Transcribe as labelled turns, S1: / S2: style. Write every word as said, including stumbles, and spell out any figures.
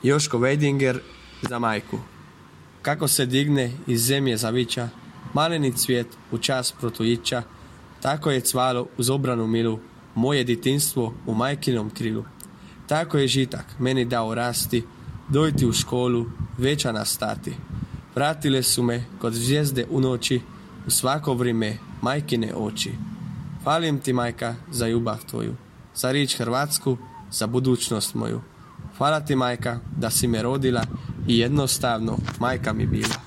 S1: Joško Vejdinger za majku. Kako se digne iz zemlje zavića, maleni cvijet u čas protujića, tako je cvalo uz obranu milu, moje ditinstvo u majkinom krilu. Tako je žitak meni dao rasti, dojti u školu, veća nastati. Vratile su me kod zvijezde u noći, u svako vrijeme majkine oči. Hvalim ti, majka, za ljubav tvoju, za riječ Hrvatsku, za budućnost moju. Hvala ti, majka, da si me rodila i jednostavno majka mi bila.